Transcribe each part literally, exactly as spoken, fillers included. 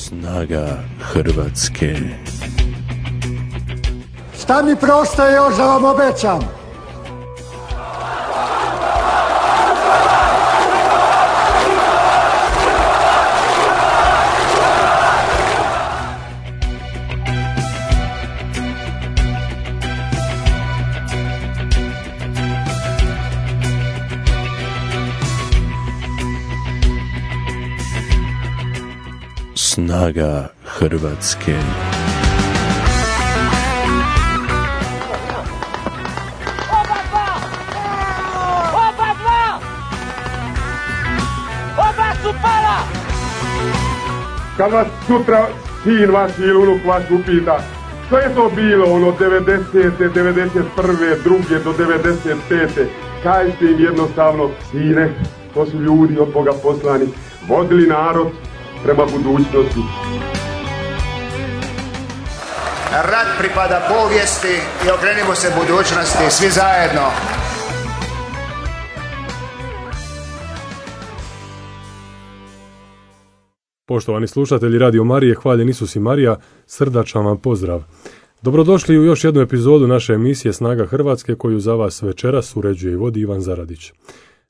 Snaga Hrvatske. Šta mi preostaje još da vam obećam? Snaga Hrvatske. Oba dva! Oba dva! Oba su pala! Kad vas sutra sin vaš ili unuk vaš upita što je to bilo ono devedesete, devedeset prve, druge do devedeset pete, kažite im jednostavno, sine, to su ljudi od Boga poslani, vodili narod prema budućnosti. Rat pripada povijesti i okrenimo se budućnosti svi zajedno. Poštovani slušatelji Radio Marije, hvaljen Isus i Marija, srdačan vam pozdrav. Dobrodošli u još jednu epizodu naše emisije Snaga Hrvatske koju za vas večeras uređuje i vodi Ivan Zaradić.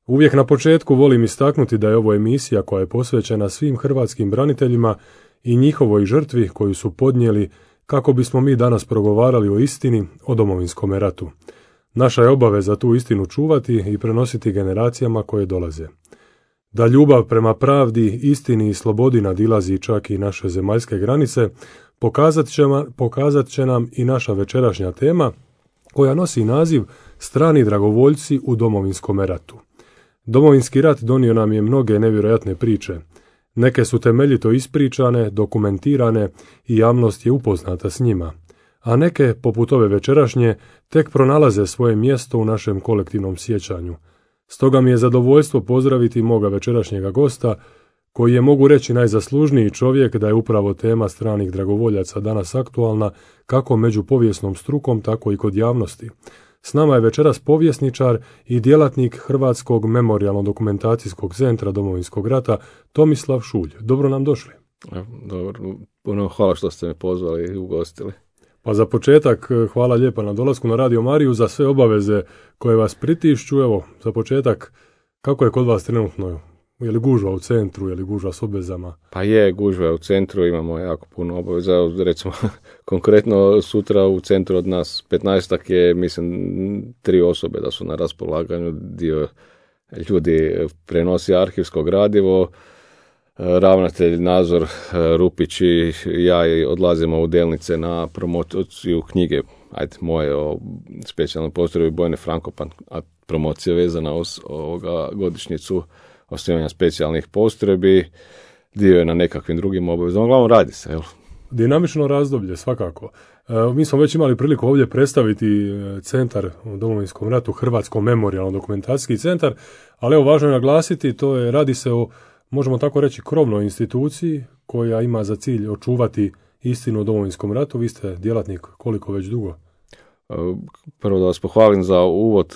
Uvijek na početku volim istaknuti da je ovo emisija koja je posvećena svim hrvatskim braniteljima i njihovoj žrtvi koju su podnijeli kako bismo mi danas progovarali o istini o Domovinskom ratu. Naša je obaveza tu istinu čuvati i prenositi generacijama koje dolaze. Da ljubav prema pravdi, istini i slobodi nadilazi čak i naše zemaljske granice, pokazat će, pokazat će nam i naša večerašnja tema koja nosi naziv Strani dragovoljci u Domovinskom ratu. Domovinski rat donio nam je mnoge nevjerojatne priče. Neke su temeljito ispričane, dokumentirane i javnost je upoznata s njima. A neke, poput ove večerašnje, tek pronalaze svoje mjesto u našem kolektivnom sjećanju. Stoga mi je zadovoljstvo pozdraviti moga večerašnjega gosta, koji je, mogu reći, najzaslužniji čovjek da je upravo tema stranih dragovoljaca danas aktualna kako među povijesnom strukom, tako i kod javnosti. S nama je večeras povjesničar i djelatnik Hrvatskog memorijalno-dokumentacijskog centra Domovinskog rata Tomislav Šulj. Dobro nam došli. Dobro, puno hvala što ste me pozvali i ugostili. Pa za početak hvala lijepa na dolasku na Radio Mariju, za sve obaveze koje vas pritišću. Evo, za početak, kako je kod vas trenutno? Je li gužva u centru, je li gužva s obvezama? Pa je, gužva u centru, imamo jako puno obaveza. Recimo, konkretno sutra u centru od nas petnaestak je, mislim, tri osobe da su na raspolaganju. Dio ljudi prenosi arhivsko gradivo. Ravnatelj Nazor Rupić i ja odlazimo u Delnice na promociju knjige, ajde, moje o specijalnoj postrojbi Bojne Frankopan, a promocija vezana uz ovoga godišnjicu osnivanja specijalnih postrojbi, dio je na nekakvim drugim obavezama, uglavnom radi se, jel? Dinamično razdoblje, svakako. E, mi smo već imali priliku ovdje predstaviti centar u Domovinskom ratu, Hrvatsko memorijalno-dokumentacijski centar, ali evo važno je naglasiti, to je, radi se o, možemo tako reći, krovnoj instituciji koja ima za cilj očuvati istinu o Domovinskom ratu. Vi ste djelatnik koliko već dugo? Prvo da vas pohvalim za uvod,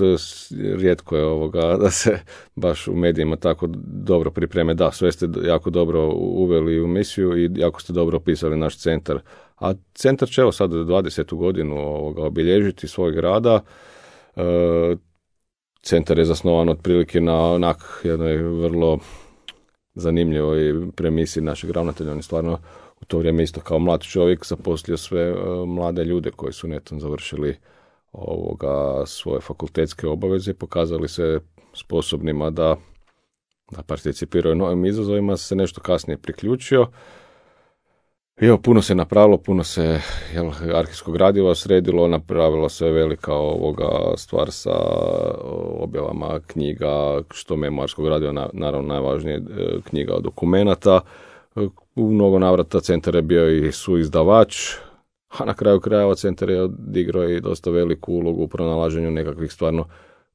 rijetko je ovoga da se baš u medijima tako dobro pripreme. Da, sve ste jako dobro uveli u misiju i jako ste dobro opisali naš centar. A centar će evo sad dvadesetu godinu ovoga obilježiti svojeg rada. E, centar je zasnovan otprilike na onak jednoj vrlo zanimljivoj premisi našeg ravnatelja. On je stvarno u to vrijeme isto kao mlad čovjek zaposlio sve uh, mlade ljude koji su netom završili ovoga svoje fakultetske obaveze i pokazali se sposobnima da, da participiraju novim izazovima, se nešto kasnije priključio. I evo, puno se napravilo, puno se jel, arhivskog gradiva sredilo, napravila se velika ovoga stvar sa objavama knjiga, što memoarskog gradiva, na, naravno najvažnije knjiga od dokumenata. U mnogo navrata centar je bio i suizdavač, a na kraju krajeva centar je odigrao i dosta veliku ulogu u pronalaženju nekakvih stvarno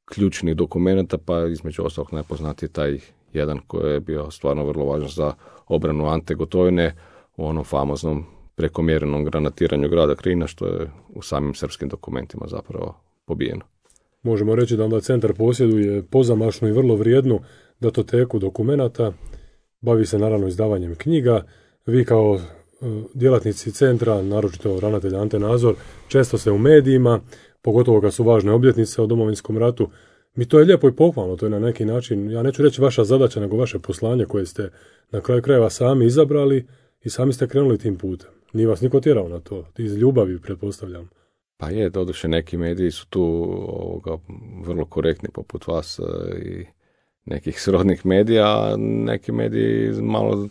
ključnih dokumenta, pa između ostalog najpoznatiji taj jedan koji je bio stvarno vrlo važan za obranu Ante Gotovine u onom famoznom prekomjerenom granatiranju grada Knina, što je u samim srpskim dokumentima zapravo pobijeno. Možemo reći da onda centar posjeduje pozamašnu i vrlo vrijednu datoteku dokumenata, bavi se naravno izdavanjem knjiga. Vi kao djelatnici centra, naročito ravnatelj Ante Nazor, često se u medijima, pogotovo kad su važne obljetnice o Domovinskom ratu, mi to je lijepo i pohvalno, to je na neki način, ja neću reći vaša zadaća, nego vaše poslanje koje ste na kraju krajeva sami izabrali i sami ste krenuli tim putem. Nije vas niko tjerao na to, iz ljubavi, pretpostavljam. Pa je, doduše neki mediji su tu ovoga, vrlo korektni poput vas i nekih srodnih medija, a neki mediji malo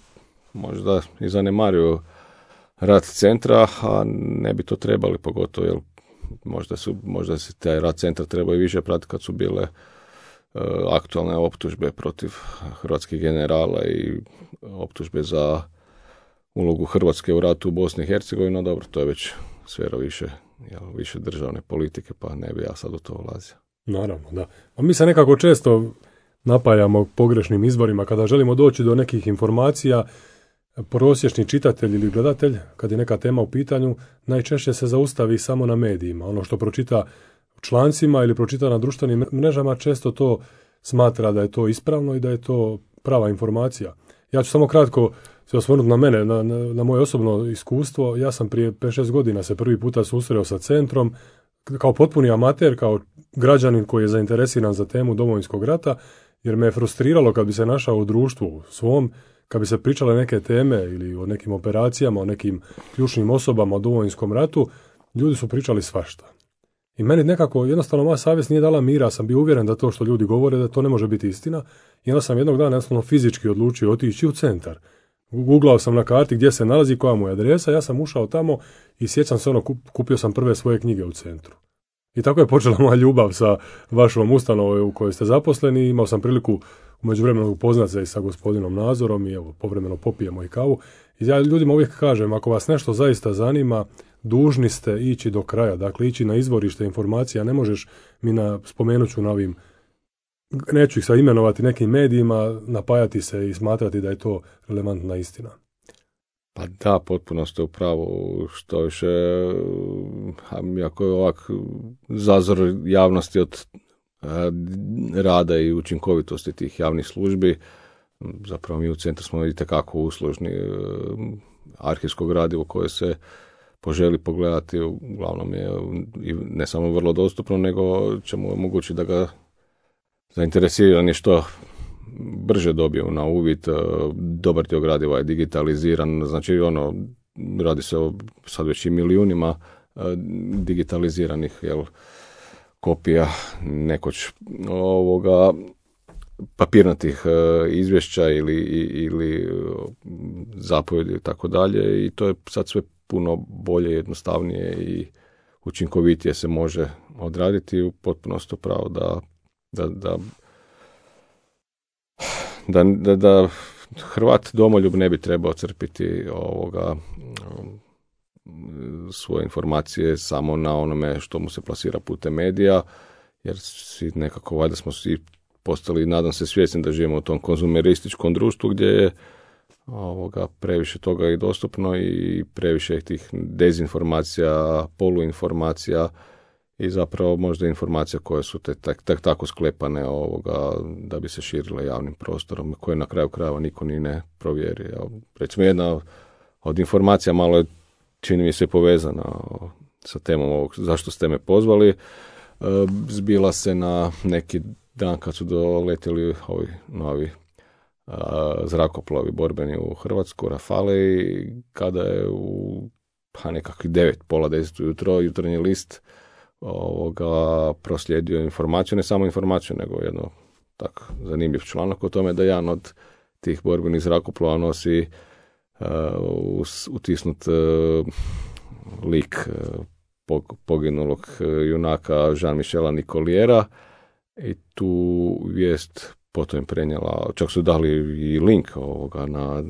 možda i zanemaruju rad centra, a ne bi to trebali, pogotovo jer možda, su, možda se taj rad centra trebao i više pratiti kad su bile uh, aktualne optužbe protiv hrvatskih generala i optužbe za ulogu Hrvatske u ratu u Bosni i Hercegovini, no dobro, to je već sfera više, jel, više državne politike, pa ne bi ja sad u to ulazio. Naravno, da. A mi se nekako često napajamo pogrešnim izborima kada želimo doći do nekih informacija. Prosječni čitatelj ili gledatelj, kad je neka tema u pitanju, najčešće se zaustavi samo na medijima. Ono što pročita u člancima ili pročita na društvenim mrežama, često to smatra da je to ispravno i da je to prava informacija. Ja ću samo kratko se osvrnuti na mene, na, na, na moje osobno iskustvo. Ja sam prije pet šest godina se prvi puta susreo sa centrom, kao potpuni amater, kao građanin koji je zainteresiran za temu Domovinskog rata, jer me je frustriralo kad bi se našao u društvu svom, kad bi se pričale neke teme ili o nekim operacijama, o nekim ključnim osobama o Domovinskom ratu, ljudi su pričali svašta. I meni nekako, jednostavno moja savjest nije dala mira, sam bio uvjeren da to što ljudi govore, da to ne može biti istina. I onda sam jednog dana jednostavno fizički odlučio otići u centar. Googlao sam na karti gdje se nalazi, koja mu je adresa, ja sam ušao tamo i sjećam se ono, kupio sam prve svoje knjige u centru. I tako je počela moja ljubav sa vašom ustanovom u kojoj ste zaposleni. Imao sam priliku u međuvremenu upoznat se i sa gospodinom Nazorom i evo, povremeno popijemo i kavu. I ja ljudima uvijek kažem, ako vas nešto zaista zanima, dužni ste ići do kraja, dakle ići na izvorište informacija. Ne možeš, mi na, spomenut ću na ovim, neću ih sad imenovati, nekim medijima, napajati se i smatrati da je to relevantna istina. Pa da, potpuno ste u pravu, što više, ako je ovak zazor javnosti od rada i učinkovitosti tih javnih službi, zapravo mi u centru smo itekako uslužni, arhivsko gradivo koje se poželi pogledati, uglavnom je ne samo vrlo dostupno, nego ćemo omogućiti da ga zainteresirani što brže dobiju na uvid. Dobar dio gradiva je digitaliziran, znači ono, radi se o sad već i milijunima digitaliziranih, jel, kopija nekoć ovoga papirnatih izvješća ili, ili zapovjedi i tako dalje, i to je sad sve puno bolje, jednostavnije i učinkovitije se može odraditi. U potpunosti upravo da da, da Da, da, da Hrvat domoljub ne bi trebao crpiti ovoga svoje informacije samo na onome što mu se plasira putem medija, jer svi nekako, valjda smo svi postali, nadam se, svjesni da živimo u tom konzumerističkom društvu gdje je ovoga previše toga i dostupno i previše tih dezinformacija, poluinformacija i zapravo možda informacija koje su te tak, tak, tako sklepane ovoga da bi se širile javnim prostorom, koje na kraju krajeva niko ni ne provjeri. Recimo jedna od informacija, malo je, čini mi se, povezana sa temom ovog zašto ste me pozvali, zbila se na neki dan kad su doletjeli ovi novi zrakoplovi borbeni u Hrvatsku, Rafale, i kada je u pa nekakvih devet, pola deset ujutro jutarnji list ovoga proslijedio informaciju, ne samo informaciju, nego jedno tako zanimljiv članak o tome da jedan od tih borbenih zrakoplova nosi uh, utisnut uh, lik uh, poginulog uh, junaka Jean-Michela Nicoliera, i tu vijest potom je prenijela, čak su dali i link ovoga na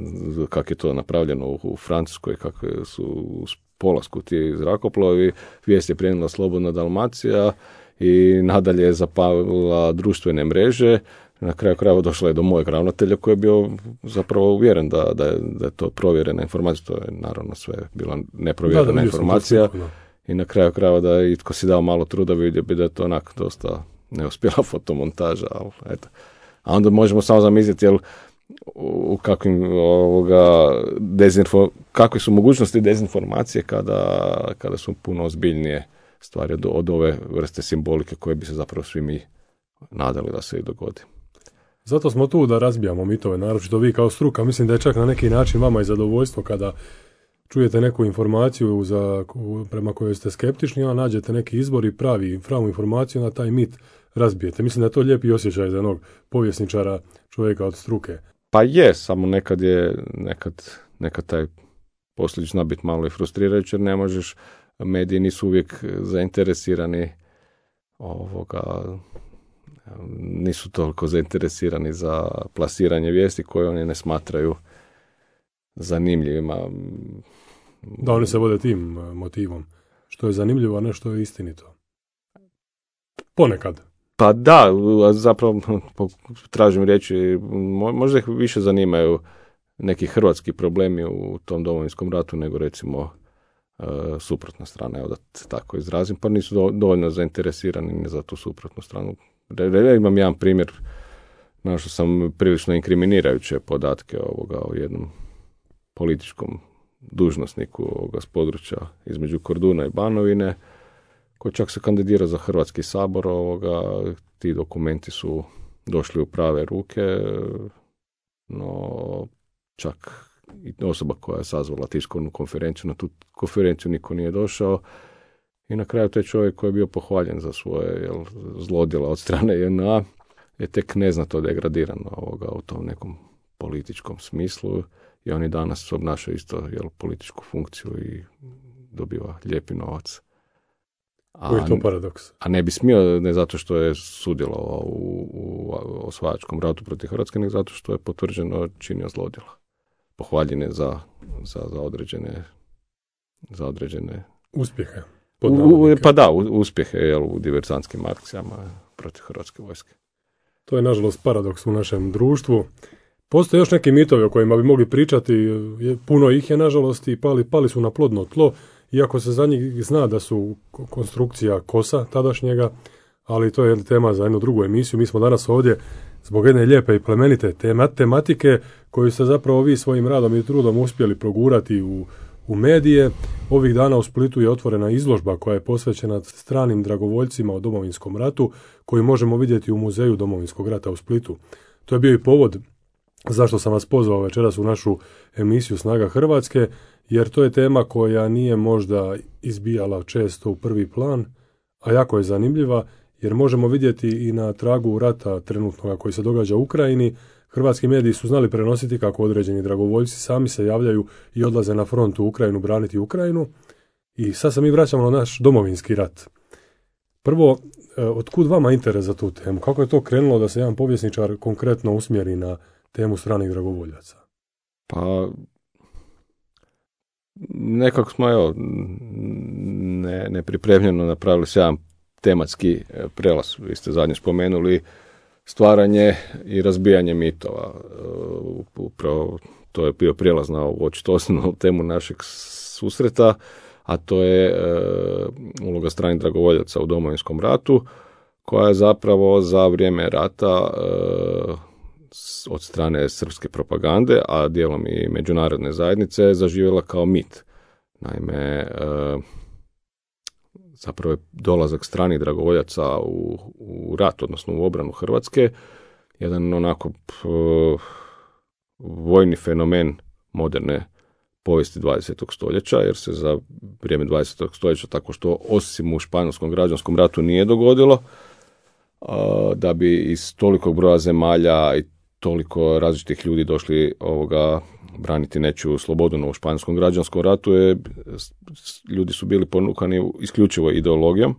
kako je to napravljeno u, u Francuskoj, kako su u polasku ti zrakoplovi. Vijest je prenijela Slobodna Dalmacija i nadalje je zapalila društvene mreže. Na kraju krajeva došla je do mojeg ravnatelja koji je bio zapravo uvjeren da, da, je, da je to provjerena informacija. To je naravno sve bila neprovjerena da, da, informacija. I na kraju krajeva da je itko si dao malo truda, vidio bi da je to onak dosta neuspjela fotomontaža. Ali, eto. A onda možemo samo zamisliti, jel u kakvim ovoga dezinfo, kakve su mogućnosti dezinformacije kada, kada su puno ozbiljnije stvari od, od ove vrste simbolike koje bi se zapravo svi mi nadali da se i dogodi. Zato smo tu da razbijamo mitove, naročito vi kao struka. Mislim da je čak na neki način vama i zadovoljstvo kada čujete neku informaciju za, prema kojoj ste skeptični, a nađete neki izbor i pravi pravu informaciju, na taj mit razbijete. Mislim da je to lijepi osjećaj za jednog povjesničara, čovjeka od struke. Pa je, samo nekad je, nekad, nekad taj posljedič zna biti malo i frustrirajući, jer ne možeš, mediji nisu uvijek zainteresirani ovoga, nisu toliko zainteresirani za plasiranje vijesti koje oni ne smatraju zanimljivima. Da, oni se vode tim motivom. Što je zanimljivo, a ne što je istinito. Ponekad. Pa da, zapravo tražim riječi, možda ih više zanimaju neki hrvatski problemi u tom Domovinskom ratu nego recimo suprotna strana, evo da se tako izrazim, pa nisu dovoljno zainteresirani ni za tu suprotnu stranu. Ja imam jedan primjer, našao sam prilično inkriminirajuće podatke ovoga o jednom političkom dužnosniku ovoga s područja između Korduna i Banovine, koji čak se kandidira za Hrvatski sabor. Ovoga, ti dokumenti su došli u prave ruke, no čak i osoba koja je sazvala tiskovnu konferenciju, na tu konferenciju niko nije došao. I na kraju taj čovjek koji je bio pohvaljen za svoje jel, zlodjela od strane J N A je tek neznatno degradirano ovoga, u tom nekom političkom smislu, i oni danas obnašaju isto jel, političku funkciju i dobiva lijepi novac. A, Koji je to paradoks? A ne bi smio, ne zato što je sudjelovao u, u osvajačkom ratu protiv Hrvatske, nego zato što je potvrđeno činio zlodjela. Pohvaljen je za, za, za određene za određene uspjehe. U, pa da, uspjehe jel, u diversantskim akcijama protiv Hrvatske vojske. To je nažalost paradoks u našem društvu. Postoje još neki mitovi o kojima bi mogli pričati, puno ih je nažalost i pali, pali su na plodno tlo, iako se za njih zna da su konstrukcija kosa tadašnjega, ali to je tema za jednu drugu emisiju. Mi smo danas ovdje zbog jedne lijepe i plemenite tema, tematike koju ste zapravo vi svojim radom i trudom uspjeli progurati u, u medije. Ovih dana u Splitu je otvorena izložba koja je posvećena stranim dragovoljcima o Domovinskom ratu, koju možemo vidjeti u Muzeju Domovinskog rata u Splitu. To je bio i povod zašto sam vas pozvao večeras u našu emisiju Snaga Hrvatske, jer to je tema koja nije možda izbijala često u prvi plan, a jako je zanimljiva, jer možemo vidjeti i na tragu rata trenutnoga koji se događa u Ukrajini. Hrvatski mediji su znali prenositi kako određeni dragovoljci sami se javljaju i odlaze na front u Ukrajinu braniti Ukrajinu. I sad se mi vraćamo na naš Domovinski rat. Prvo, otkud vama interes za tu temu? Kako je to krenulo da se jedan povjesničar konkretno usmjeri na temu stranih dragovoljaca? Pa, nekako smo, evo, ne, nepripremljeno napravili se jedan tematski prelaz. Vi ste zadnje spomenuli stvaranje i razbijanje mitova. Upravo to je bio prijelaz na ovu očito osnovnu temu našeg susreta, a to je e, uloga stranih dragovoljaca u Domovinskom ratu, koja je zapravo za vrijeme rata e, od strane srpske propagande, a dijelom i međunarodne zajednice, zaživjela kao mit. Naime, e, zapravo je dolazak stranih dragovoljaca u, u rat, odnosno u obranu Hrvatske, jedan onako p, vojni fenomen moderne povijesti dvadesetog stoljeća, jer se za vrijeme dvadesetog stoljeća tako što osim u Španjolskom građanskom ratu nije dogodilo, a, da bi iz tolikog broja zemalja i toliko različitih ljudi došli ovoga braniti nečiju slobodu. No, u Španjolskom građanskom ratu je, ljudi su bili ponukani isključivo ideologijom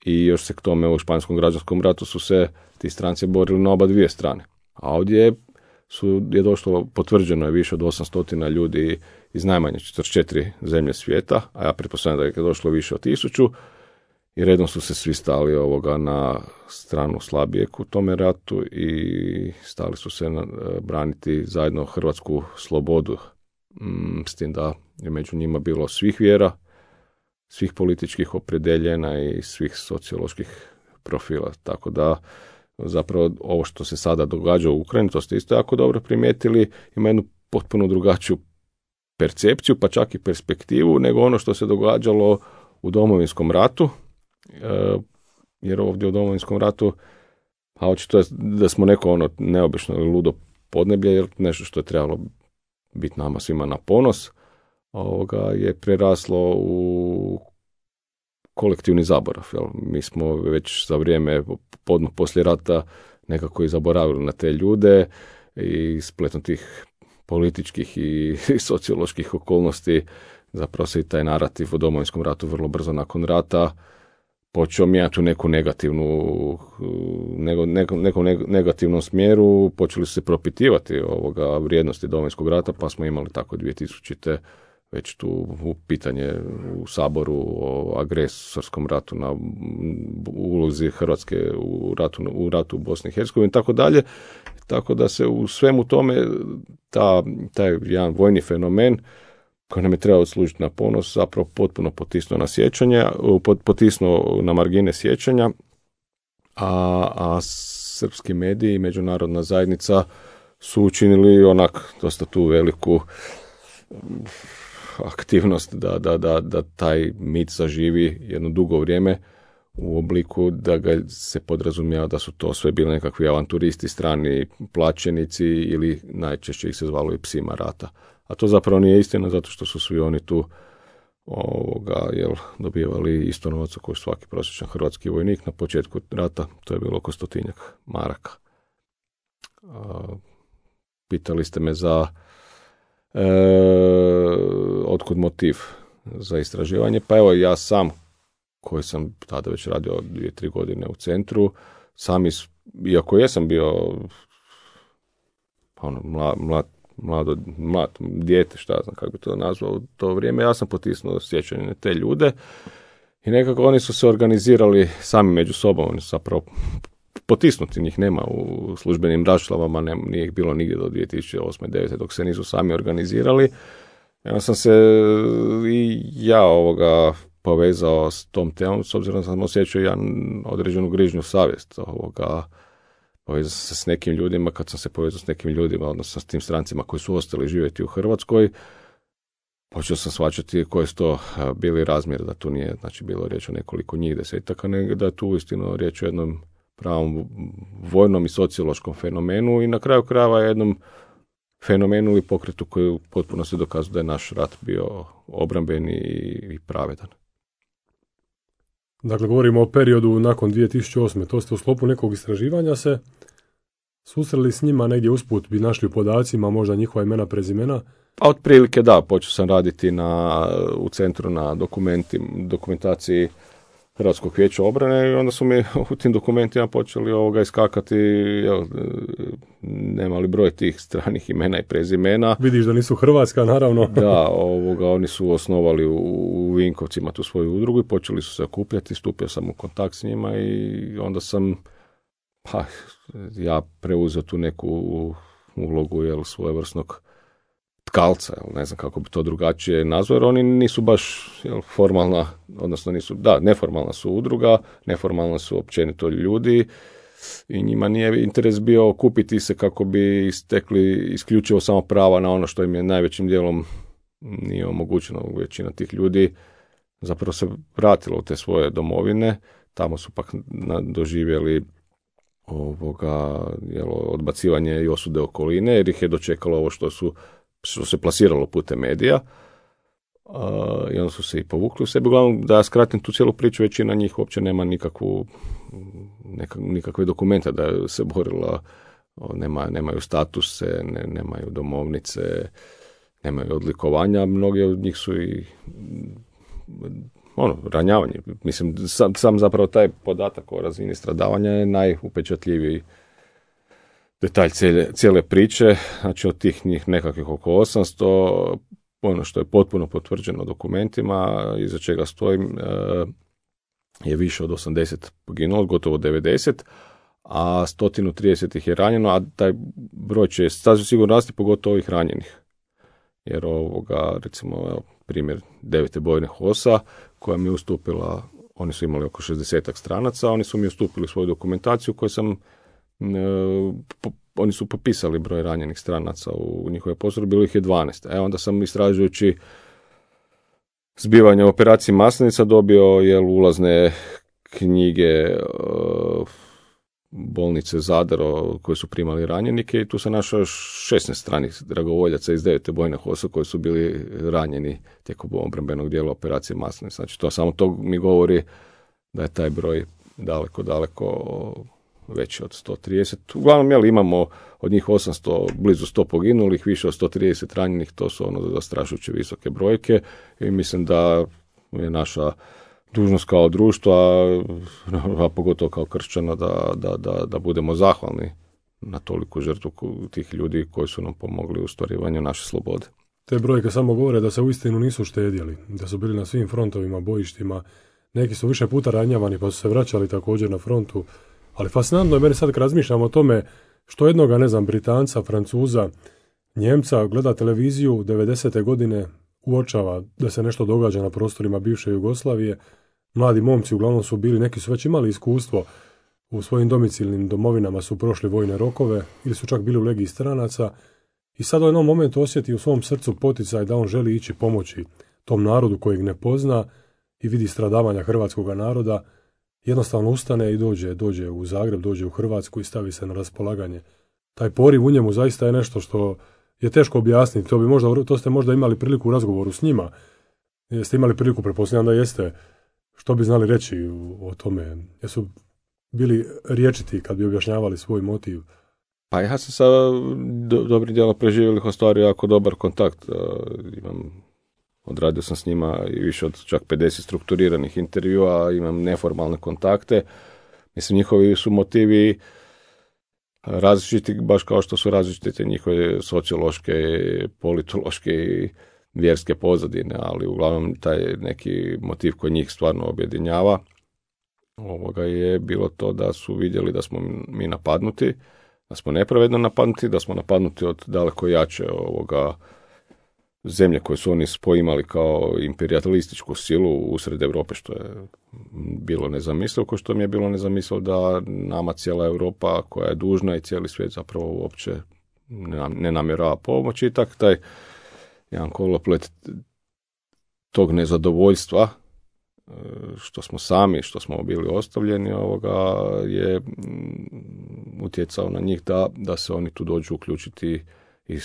i još se k tome u Španjolskom građanskom ratu su se ti stranci borili na oba dvije strane. A ovdje su, je došlo, potvrđeno je više od osamsto ljudi iz najmanje četrdeset četiri zemlje svijeta, a ja pretpostavljam da je došlo više od tisuću, i redom su se svi stali ovoga na stranu slabijeg u tome ratu i stali su se na, braniti zajedno hrvatsku slobodu, mm, s tim da je među njima bilo svih vjera, svih političkih opredjeljena i svih socioloških profila. Tako da zapravo ovo što se sada događa u Ukrajini, to ste isto jako dobro primijetili, ima jednu potpuno drugačiju percepciju, pa čak i perspektivu, nego ono što se događalo u Domovinskom ratu, jer ovdje u Domovinskom ratu, a očito je da smo neko ono neobično ili ludo podneblje, jer nešto što je trebalo biti nama svima na ponos, ovoga je preraslo u kolektivni zaborav. Jel? Mi smo već za vrijeme podno poslije rata nekako i zaboravili na te ljude i spletom tih političkih i, i socioloških okolnosti zapravo se i taj narativ o Domovinskom ratu vrlo brzo nakon rata počeo mijenjati u neku negativnu, nego, nekom, nekom negativnom smjeru, počeli su se propitivati ovoga vrijednosti Domovinskog rata, pa smo imali tako dvije tisućite već tu pitanje u Saboru o agresorskom ratu, na ulozi Hrvatske u ratu, u ratu u Bosni i Hercegovini i tako dalje. Tako da se u svemu tome ta, taj jedan vojni fenomen koji nam je trebao služiti na ponos, zapravo potpuno potisnuo na sjećanje, potisnuo na margine sjećanja, a, a srpski mediji i međunarodna zajednica su učinili onak dosta tu veliku aktivnost da, da, da, da taj mit zaživi jedno dugo vrijeme u obliku da ga se podrazumijeva da su to sve bili nekakvi avanturisti, strani plaćenici ili najčešće ih se zvalo i psima rata. A to zapravo nije istina zato što su svi oni tu ovoga, jel, dobivali isto novaca koji svaki prosječan hrvatski vojnik na početku rata, to je bilo oko stotinjak maraka. A, pitali ste me za e, otkud motiv za istraživanje, pa evo ja sam koji sam tada već radio dvije, tri godine u centru, sam iz, iako jesam bio ono, mlad, mlad, mlado, mlad dijete, šta znam kako bi to nazvao u to vrijeme, ja sam potisnuo sjećanje na te ljude i nekako oni su se organizirali sami među sobom, oni su zapravo potisnuti, njih nema u službenim raščlavama, ne, nije ih bilo nigdje do dvije tisuće osme devete dok se nisu sami organizirali. Ja sam se i ja ovoga povezao s tom temom, s obzirom da sam osjećao jedan određenu grižnju savjest. Ovoga, povezao sam se s nekim ljudima, kad sam se povezao s nekim ljudima, odnosno s tim strancima koji su ostali živjeti u Hrvatskoj, počeo sam shvaćati koji su to bili razmjer, da tu nije znači, bilo riječ o nekoliko njih desetaka, nego da je tu uistinu riječ o jednom pravom vojnom i sociološkom fenomenu i na kraju krajeva jednom fenomenu ili pokretu koji potpuno se dokazuje da je naš rat bio obrambeni i pravedan. Dakle, govorimo o periodu nakon dvije tisuće osme. To ste u sklopu nekog istraživanja se susreli s njima negdje usput, bi našli u podacima možda njihova imena, prezimena? Pa otprilike da, počeo sam raditi na, u centru na dokumenti, dokumentaciji Hrvatskog vijeća obrane i onda su mi u tim dokumentima počeli ovoga iskakati, jel, nema li broj tih stranih imena i prezimena. Vidiš da nisu Hrvatska, naravno. Da, ovoga, oni su osnovali u, u Vinkovcima tu svoju udrugu i počeli su se okupljati, stupio sam u kontakt s njima i onda sam pa, ja preuzeo tu neku ulogu jel, svojevrsnog tkalca, jel, ne znam kako bi to drugačije nazvao, jer oni nisu baš jel, formalna, odnosno nisu, da, neformalna su udruga, neformalna su općenito ljudi i njima nije interes bio okupiti se kako bi stekli isključivo samo prava na ono što im je najvećim dijelom nije omogućeno. Većina tih ljudi zapravo se vratila u te svoje domovine, tamo su pak doživjeli ovoga, jel, odbacivanje i osude okoline, jer ih je dočekalo ovo što su što se plasiralo putem medija uh, i onda su se i povukli u sebi. Uglavnom, da ja skratim tu cijelu priču, većina njih uopće nema nikakvu, neka, nikakve dokumente da je se borila, nema, nemaju statuse, ne, nemaju domovnice, nemaju odlikovanja, mnogi od njih su i ono, ranjavanje. Mislim, sam, sam zapravo taj podatak o razini stradavanja je najupečatljiviji detalj cijele, cijele priče, znači od tih njih nekakvih oko osamsto, ono što je potpuno potvrđeno dokumentima, iza čega stojim, je više od osamdeset poginulo, gotovo devedeset, a sto trideset ih je ranjeno, a taj broj će sasvim sigurno rasti, pogotovo ovih ranjenih. Jer ovoga, recimo, evo, primjer devete bojne HOS-a, koja mi je ustupila, oni su imali oko šezdesetak stranaca, oni su mi ustupili svoju dokumentaciju koju sam po, oni su popisali broj ranjenih stranaca u njihove postrojbe, bilo ih je dvanaest. E onda sam istražujući zbivanje operacije Maslenica dobio jel, ulazne knjige uh, bolnice Zadar koje su primali ranjenike i tu sam našao šesnaest stranih dragovoljaca iz devete bojne HOS-a koji su bili ranjeni tijekom obrambenog dijela operacije Maslenica. Znači to samo to mi govori da je taj broj daleko, daleko veći od sto trideset. Uglavnom, jel, imamo od njih osamsto, blizu sto poginulih, više od sto trideset ranjenih, to su ono zastrašujuće visoke brojke i mislim da je naša dužnost kao društva, a pogotovo kao kršćana, da, da, da, da budemo zahvalni na toliku žrtvu tih ljudi koji su nam pomogli u ostvarivanju naše slobode. Te brojke samo govore da se uistinu nisu štedjeli, da su bili na svim frontovima, bojištima, neki su više puta ranjavani pa su se vraćali također na frontu, ali fascinantno je meni sad kad razmišljam o tome što jednoga, ne znam, Britanca, Francuza, Njemca gleda televiziju devedesete godine, uočava da se nešto događa na prostorima bivše Jugoslavije. Mladi momci uglavnom su bili, neki su već imali iskustvo u svojim domicilnim domovinama, su prošli vojne rokove ili su čak bili u legiji stranaca i sad u jednom momentu osjeti u svom srcu poticaj da on želi ići pomoći tom narodu kojeg ne pozna i vidi stradavanja hrvatskog naroda, jednostavno ustane i dođe, dođe u Zagreb, dođe u Hrvatsku i stavi se na raspolaganje. Taj poriv u njemu zaista je nešto što je teško objasniti. To, bi možda, to ste možda imali priliku u razgovoru s njima. Jeste imali priliku, pretpostavljam da jeste. Što bi znali reći o tome? Jesu bili riječiti kad bi objašnjavali svoj motiv? Pa ja sam sa do, dobrim dijelom preživjelih ostvario jako dobar kontakt. Uh, imam, odradio sam s njima i više od čak pedeset strukturiranih intervjua, imam neformalne kontakte. Mislim, njihovi su motivi različiti, baš kao što su različite njihove sociološke, politološke i vjerske pozadine, ali uglavnom taj neki motiv koji njih stvarno objedinjava ovoga je bilo to da su vidjeli da smo mi napadnuti, da smo nepravedno napadnuti, da smo napadnuti od daleko jače ovoga zemlje koje su oni poimali kao imperijalističku silu usred Europe, što je bilo nezamislivo, kao što mi je bilo nezamislivo da nama cijela Europa koja je dužna i cijeli svijet zapravo uopće ne namjerava pomoći i tak taj jedan koloplet tog nezadovoljstva što smo sami, što smo bili ostavljeni, ovoga je utjecao na njih da, da se oni tu dođu uključiti i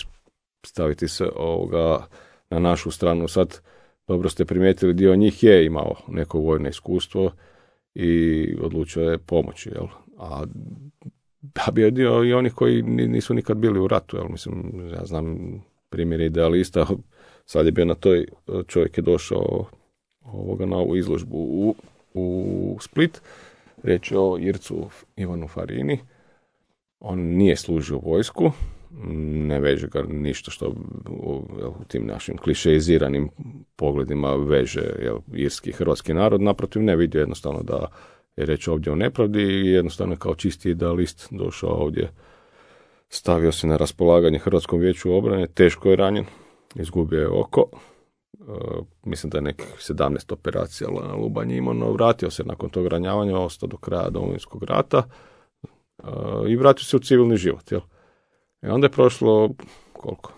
staviti se ovoga na našu stranu. Sad, dobro ste primijetili, dio njih je imao neko vojno iskustvo i odlučio je pomoći, jel? A da bi je dio i onih koji nisu nikad bili u ratu, jel? Mislim, ja znam primjer idealista, sad je bio na toj, čovjek je došao ovoga na ovu izložbu u, u Split, reći o Ircu Ivanu Farini, on nije služio vojsku, ne veže ga ništa što u, u tim našim klišeiziranim pogledima veže jel, irski i hrvatski narod, naprotiv ne vidio jednostavno da je reč ovdje o nepravdi i jednostavno kao čisti idealist došao ovdje, stavio se na raspolaganje Hrvatskom vijeću obrane, teško je ranjen, izgubio je oko, uh, mislim da je nekih sedamnaest operacija na Lubanji imao, no vratio se nakon tog ranjavanja, ostao do kraja Domovinskog rata uh, i vratio se u civilni život, jel? I onda je prošlo, koliko?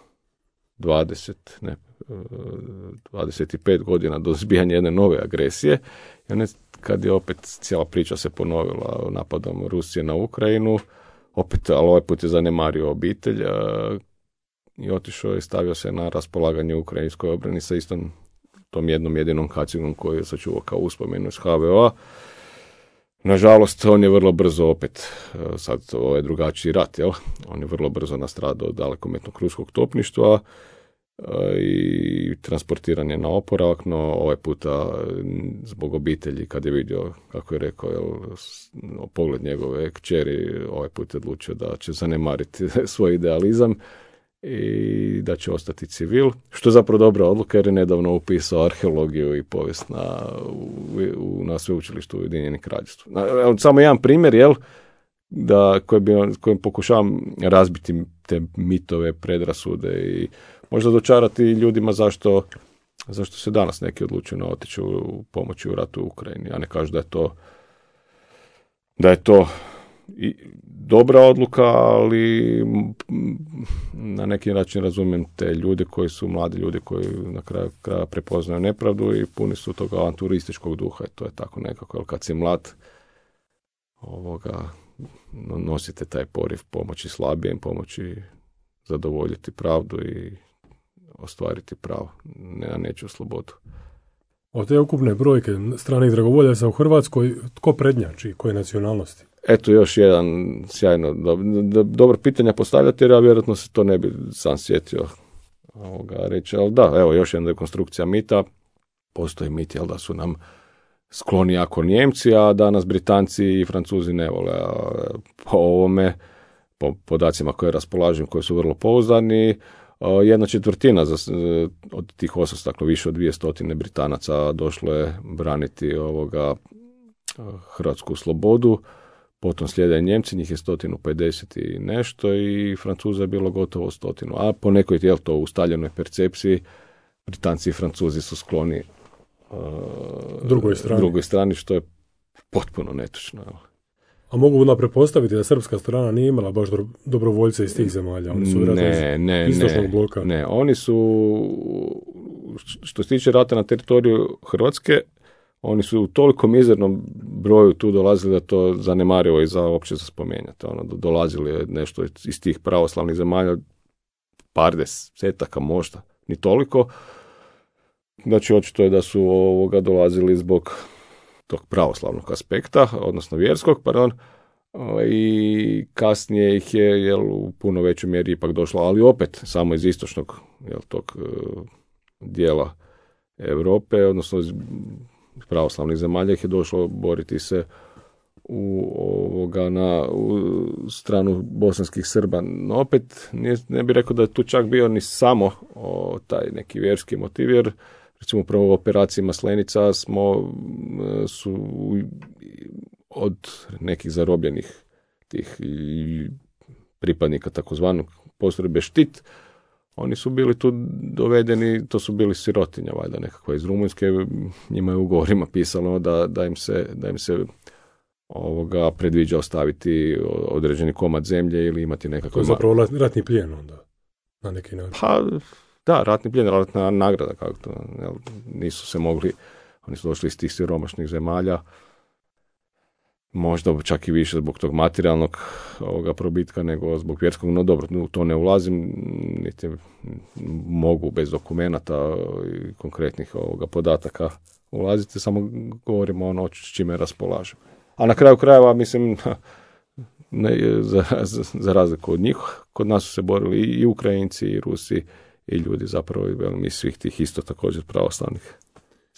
dvadeset, ne, dvadeset pet godina do zbijanja jedne nove agresije. I onda kad je opet cijela priča se ponovila napadom Rusije na Ukrajinu, opet, ali ovaj put je zanemario obitelj i otišao i stavio se na raspolaganje ukrajinskoj obrani sa istom tom jednom jedinom kacigom koju je sačuvao kao uspomenu iz H V O-a. Nažalost, on je vrlo brzo opet, sad ovo je drugačiji rat, jel? On je vrlo brzo nastradao od dalekometnog ruskog topništva i transportiran je na oporavak, no ovaj puta zbog obitelji, kad je vidio, kako je rekao, jel, pogled njegove kćeri, ovaj put je odlučio da će zanemariti svoj idealizam i da će ostati civil, što je zapravo dobra odluka jer je nedavno upisao arheologiju i povijest na, u, na sveučilištu Ujedinjenih Kraljevstva. Samo jedan primjer, jel, da, koji bi, kojim pokušavam razbiti te mitove, predrasude i možda dočarati ljudima zašto, zašto se danas neki odlučuju na otići u pomoći u ratu u Ukrajini. Ja ne kažu da je to da je to i dobra odluka, ali na neki način razumijem te ljude koji su mladi ljudi koji na kraju kraja prepoznaju nepravdu i puni su toga avanturističkog duha. I to je tako nekako, jer kad si mlad, ovoga, nosite taj poriv pomoći slabijem, pomoći zadovoljiti pravdu i ostvariti pravo, ne na nečiju slobodu. Od te ukupne brojke stranih dragovoljaca u Hrvatskoj, tko prednjači, koje nacionalnosti? Eto još jedan sjajno do, do, dobro pitanja postavljati, jer ja vjerojatno se to ne bi sam sjetio ovoga reći, ali da, evo još jedna dekonstrukcija mita. Postoji mit, jel da su nam skloni jako Njemci, a danas Britanci i Francuzi ne vole. Po ovome, po podacima koje raspolažem, koji su vrlo pouzdani, jedna četvrtina za, od tih osamsto, dakle više od dvjesto Britanaca došlo je braniti ovoga hrvatsku slobodu, potom slijede Njemci, njih je sto pedeset i nešto i Francuza je bilo gotovo stotinu, a po nekoj jel to ustaljenoj percepciji Britanci i Francuzi su skloni uh, drugoj strani. drugoj strani, što je potpuno netočno. A mogu da prepostaviti da srpska strana nije imala baš dobrovoljce iz tih zemalja? Oni su ne, ne, istočnog ne, bloka. Ne, oni su, što se tiče rata na teritoriju Hrvatske, oni su u toliko mizernom broju tu dolazili da to zanemarivo i za uopće za spomenjati. Ono, dolazili je nešto iz tih pravoslavnih zemalja, par desetaka možda, ni toliko. Znači, očito je da su ovoga dolazili zbog tog pravoslavnog aspekta, odnosno vjerskog, pardon, i kasnije ih je jel, u puno većoj mjeri ipak došlo, ali opet samo iz istočnog jel, tog dijela Europe, odnosno iz pravoslavnih zemalja ih je došlo boriti se u ovoga na u stranu bosanskih Srba. No opet nije, ne bih rekao da je tu čak bio ni samo o, taj neki vjerski motiv, jer recimo upravo u operaciji Maslenica smo su od nekih zarobljenih tih pripadnika takozvanog postrojbe Štit, oni su bili tu dovedeni, to su bili sirotinja valjda nekakva iz Rumunjske, njima je u ugovorima pisalo da, da im se, da im se ovoga predviđa ostaviti određeni komad zemlje ili imati nekakav... To je zapravo ratni plijen onda, na neki način. Pa, da, ratni plijen, ratna nagrada, kako to, jel, nisu se mogli, oni su došli iz tih siromašnih zemalja, možda čak i više zbog tog materijalnog ovoga probitka nego zbog vjerskog, no dobro, u to ne ulazim, niti mogu bez dokumenata i konkretnih ovoga podataka ulaziti, samo govorimo ono s čime raspolažem. A na kraju krajeva, mislim, ne, za, za, za razliku od njih, kod nas su se borili i Ukrajinci, i Rusi, i ljudi zapravo, i svih tih isto također pravoslavnih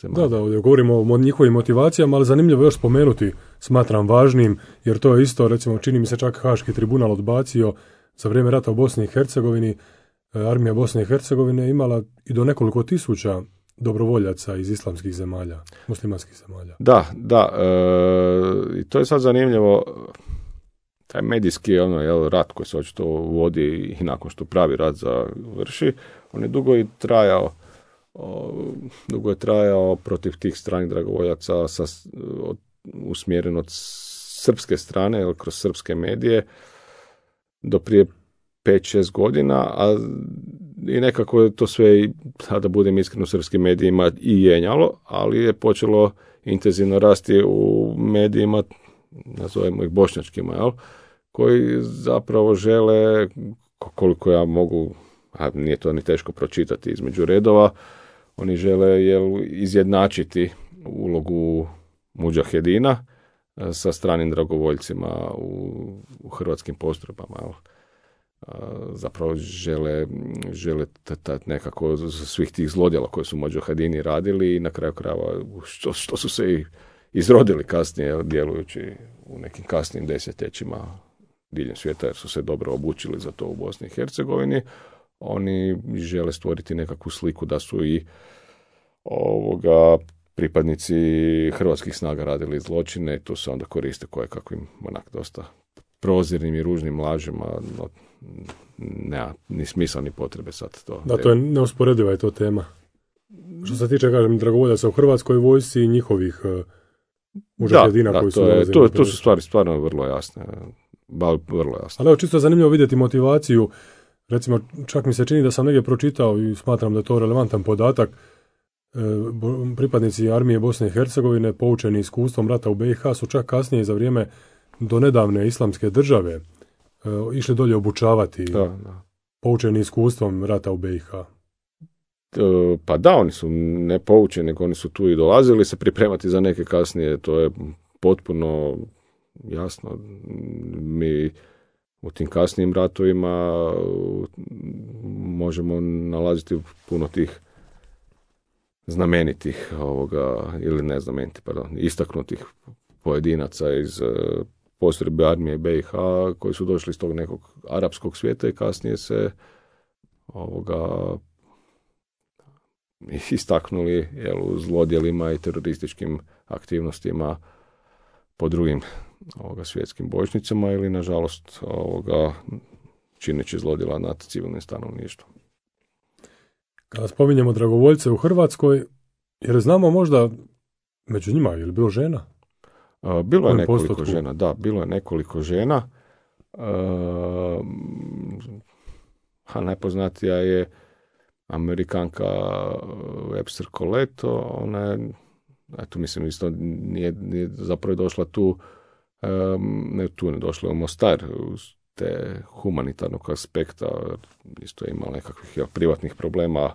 zemalja. Da, da, ovdje govorimo o njihovim motivacijama, ali zanimljivo još spomenuti, smatram važnim, jer to je isto, recimo, čini mi se čak Haški tribunal odbacio za vrijeme rata u Bosni i Hercegovini, armija Bosne i Hercegovine imala i do nekoliko tisuća dobrovoljaca iz islamskih zemalja, muslimanskih zemalja. Da, da, e, i to je sad zanimljivo, taj medijski ono, jel, rat koji se očito vodi i nakon što pravi rat završi, on je dugo i trajao, o, dugo je trajao protiv tih stranih dragovoljaca sa, od, usmjeren od srpske strane, jel, kroz srpske medije, do prije pet šest godina, a i nekako je to sve, da budem iskren, u srpskim medijima i jenjalo, ali je počelo intenzivno rasti u medijima, nazovemo ih bošnjačkima, jel, koji zapravo žele, koliko ja mogu, a nije to ni teško pročitati između redova, oni žele jel, izjednačiti ulogu mudžahedina sa stranim dragovoljcima u, u hrvatskim postrojbama, jel. Zapravo žele, žele t- nekako svih tih zlodjela koje su mudžahedini radili i na kraju krajeva što, što su se i izrodili kasnije djelujući u nekim kasnim desetljećima diljem svijeta jer su se dobro obučili za to u Bosni i Hercegovini. Oni žele stvoriti nekakvu sliku da su i ovoga pripadnici hrvatskih snaga radili zločine i to se onda koriste koje kakvim onak dosta prozirnim i ružnim lažima, no, nema ni smisla ni potrebe sad to. Da, to je neusporediva je to tema. Što se tiče, kažem, dragovoljaca u Hrvatskoj vojsci i njihovih uh, mudžahedina koji su to, je, dolazili. to, to su stvari stvarno vrlo jasne. Ba, vrlo jasno. Ali evo, čisto zanimljivo vidjeti motivaciju. Recimo, čak mi se čini da sam negdje pročitao i smatram da je to relevantan podatak. E, pripadnici armije Bosne i Hercegovine, poučeni iskustvom rata u B i H, su čak kasnije za vrijeme do nedavne islamske države e, išli dolje obučavati, da, da. poučeni iskustvom rata u B i H. E, pa da, oni su ne poučeni, nego oni su tu i dolazili se pripremati za neke kasnije, to je potpuno jasno. Mi u tim kasnijim ratovima možemo nalaziti puno tih znamenitih ovoga, ili ne znamenitih, pardon, istaknutih pojedinaca iz postrojbe armije B i H koji su došli iz tog nekog arapskog svijeta i kasnije se ovoga istaknuli jel, u zlodjelima i terorističkim aktivnostima po drugim ovoga, svjetskim bojišnicama ili nažalost ovoga, čineći zlodjela nad civilnim stanovništvom. Kada spominjemo dragovoljce u Hrvatskoj, jer znamo možda među njima, je li bilo žena? A, bilo je nekoliko postotku? žena, da, bilo je nekoliko žena. A, a najpoznatija je Amerikanka Webster Coleto, ona je, eto mislim isto nije, nije zapravo došla tu, um, ne tu, ne došla u Mostar, uz te humanitarnog aspekta, isto je imala nekakvih ja, privatnih problema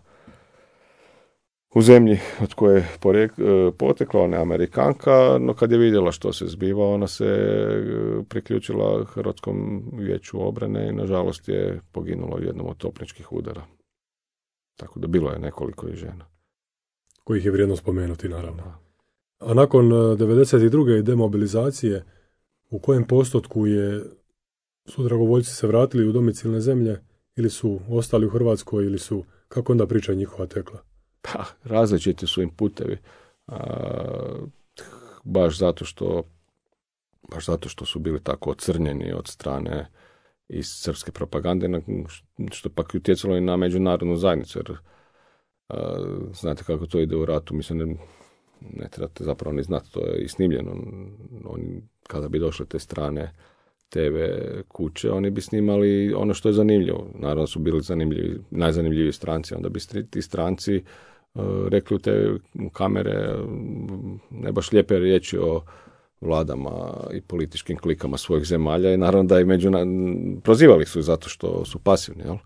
u zemlji od koje je porijek, potekla, ona je Amerikanka, no kad je vidjela što se zbiva, ona se priključila Hrvatskom vijeću obrane i nažalost je poginula u jednom od topničkih udara. Tako da bilo je nekoliko i žena. Kojih je vrijedno spomenuti, naravno. A nakon devedeset druge demobilizacije, u kojem postotku je, su dragovoljci se vratili u domicilne zemlje ili su ostali u Hrvatskoj ili su, kako onda priča njihova tekla? Pa, različiti su im putevi. A, baš zato što baš zato što su bili tako ocrnjeni od strane iz srpske propagande, što pak utjecalo i na međunarodnu zajednicu, jer a, znate kako to ide u ratu, mislim, ne, ne trebate zapravo ni znati, to je i snimljeno. Oni, kada bi došle te strane te ve kuće, oni bi snimali ono što je zanimljivo. Naravno su bili zanimljivi, najzanimljiviji stranci, onda bi ti stranci uh, rekli u te kamere ne baš lijepe riječi o vladama i političkim klikama svojih zemalja i naravno da i međuna... prozivali su zato što su pasivni, jel?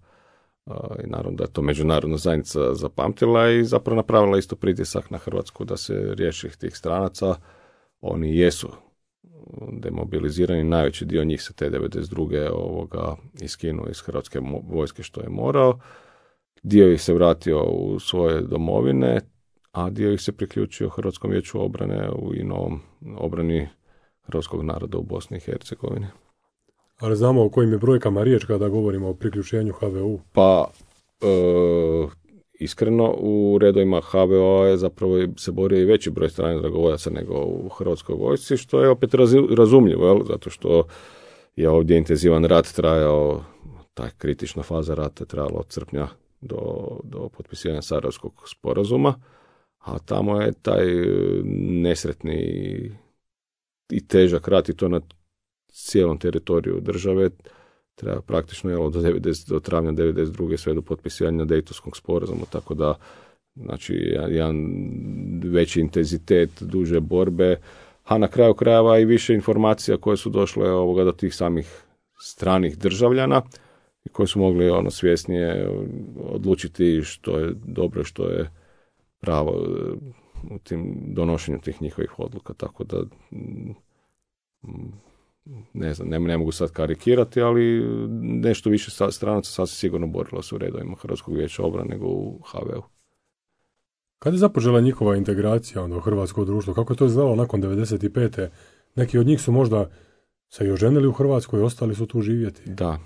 Uh, i naravno da je to međunarodna zajednica zapamtila i zapravo napravila isto pritisak na Hrvatsku da se riješi tih stranaca. Oni jesu demobilizirani, najveći dio njih se te devedeset druge ovoga iskinuo iz hrvatske vojske što je morao. Dio ih se vratio u svoje domovine, a dio ih se priključio Hrvatskom vijeću obrane i novom obrani hrvatskog naroda u Bosni i Hercegovini. Ali znamo o kojim je brojkama riječ kada govorimo o priključenju ha ve u? Pa, e, iskreno, u redovima ha ve o je zapravo se borio i veći broj stranih dragovoljaca nego u Hrvatskoj vojsci, što je opet razumljivo, jel? Zato što je ovdje intenzivan rat trajao, ta kritična faza rata je trajala od srpnja do, do potpisivanja Sarajevskog sporazuma, a tamo je taj nesretni i težak rat i to na cijelom teritoriju države treba praktično jel, do, devedeset, do travnja devedeset druge sve do potpisivanja Dejtonskog sporazuma, tako da znači jedan veći intenzitet, duže borbe, a na kraju krajeva i više informacija koje su došle ovoga do tih samih stranih državljana i koji su mogli ono svjesnije odlučiti što je dobro, što je pravo u tim donošenju tih njihovih odluka, tako da ne znam, ne, ne mogu sad karikirati, ali nešto više stranaca sasvim sigurno borilo se u redovima Hrvatskog vijeća obrane nego u ha ve u. Kada je započela njihova integracija onda u hrvatsko društvo? Kako je to izgledalo nakon devedeset pete? Neki od njih su možda se i oženili u Hrvatskoj, ostali su tu živjeti. Da,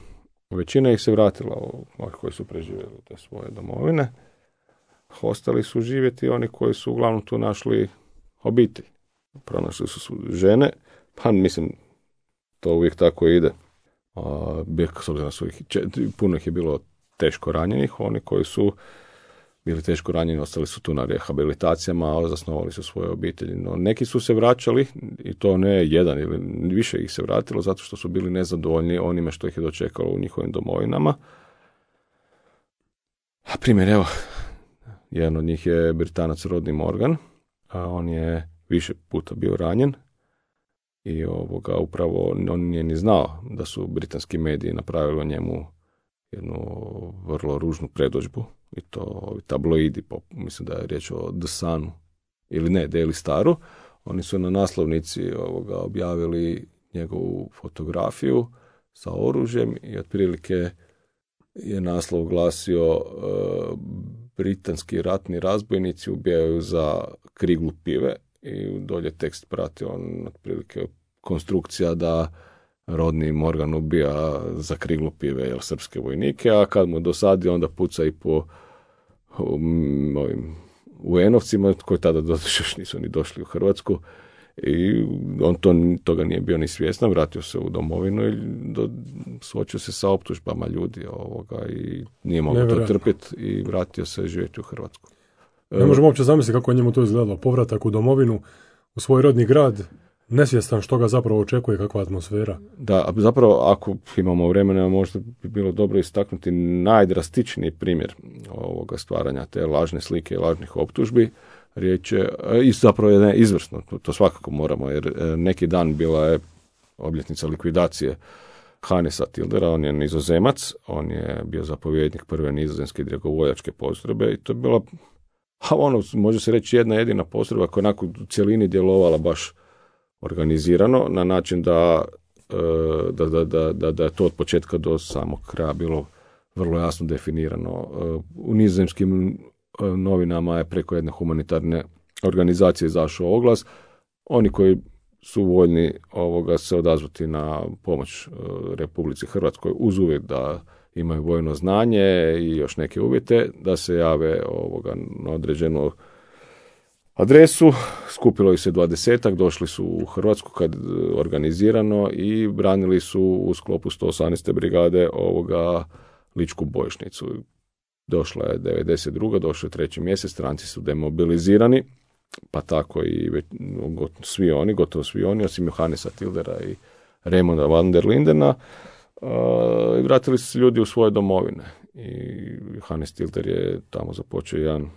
većina ih se vratila, oni koji su preživjeli te svoje domovine. Ostali su živjeti oni koji su uglavnom tu našli obitelj. Pronašli su žene, pa mislim, to uvijek tako ide. A, s obzirom su ih, puno ih je bilo teško ranjenih, oni koji su bili teško ranjeni, ostali su tu na rehabilitacijama, a zasnovali su svoje obitelji. No, neki su se vraćali, i to ne jedan ili više ih se vratilo, zato što su bili nezadovoljni onime što ih je dočekalo u njihovim domovinama. A primjer, evo, jedan od njih je Britanac Rodney Morgan, a on je više puta bio ranjen i ovoga, upravo on nije ni znao da su britanski mediji napravili o njemu jednu vrlo ružnu predodžbu, i to ovi tabloidi, mislim da je riječ o The Sunu, ili ne, Daily Staru. Oni su na naslovnici ovoga objavili njegovu fotografiju sa oružjem i otprilike je naslov glasio uh, britanski ratni razbojnici ubijaju za kriglu pive, i dolje tekst prati on otprilike konstrukcija da Rodney Morgan ubija za kriglu pive, jel, srpske vojnike, a kad mu dosadi onda puca i po um, ovim U en-ovcima koji tada još nisu ni došli u Hrvatsku, i on to, toga nije bio ni svjestan, vratio se u domovinu i do, suočio se sa optužbama ljudi ovoga i nije mogao to trpjeti i vratio se živjeti u Hrvatsku. Ne možemo uopće zamisliti kako je njemu to izgledalo. Povratak u domovinu, u svoj rodni grad, nesvjestan što ga zapravo očekuje, kakva atmosfera. Da, zapravo ako imamo vremena možda bi bilo dobro istaknuti najdrastičniji primjer ovoga stvaranja te lažne slike i lažnih optužbi. Riječ je, i zapravo je ne, izvrsno, to, to svakako moramo, jer neki dan bila je obljetnica likvidacije Hannesa Tildera, on je Nizozemac, on je bio zapovjednik prve nizozemske dragovoljačke postrojbe i to je bila, a ono, može se reći, jedna jedina postrojba koja je onako u cjelini djelovala baš organizirano, na način da, da, da, da, da, da je to od početka do samog kraja bilo vrlo jasno definirano. U nizozemskim novinama je preko jedne humanitarne organizacije izašao oglas. Oni koji su voljni ovoga se odazvati na pomoć Republici Hrvatskoj uz uvjet da imaju vojno znanje i još neke uvjete, da se jave ovoga na određenu adresu. Skupilo ih se dvadesetak, došli su u Hrvatsku kad organizirano i branili su u sklopu sto osamnaeste brigade ovoga Ličku bojišnicu. Došla je devedeset druga došao je treći mjesec, stranci su demobilizirani, pa tako i već, svi oni, gotovo svi oni, osim Johannesa Tildera i Raymonda van der Lindena, uh, i vratili su se ljudi u svoje domovine. I Johannes Tilder je tamo započeo jedan,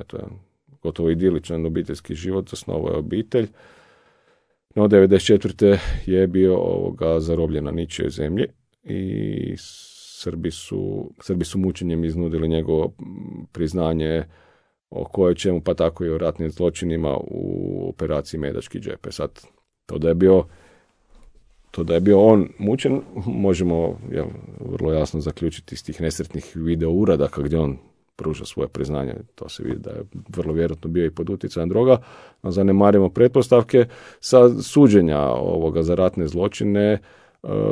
eto, jedan gotovo idiličan obiteljski život, zasnovao je obitelj. No, devedeset četvrte je bio ovoga zarobljen na ničijoj zemlji i Srbi su, Srbi su mučenjem iznudili njegovo priznanje o koje čemu, pa tako i o ratnim zločinima u operaciji Medački džep. Sad, to da je bio, to da je bio on mučen, možemo jel, vrlo jasno zaključiti iz tih nesretnih video uradaka gdje on pruža svoje priznanje. To se vidi da je vrlo vjerojatno bio i pod utjecajem droga. No, zanemarimo pretpostavke sa suđenja ovoga za ratne zločine.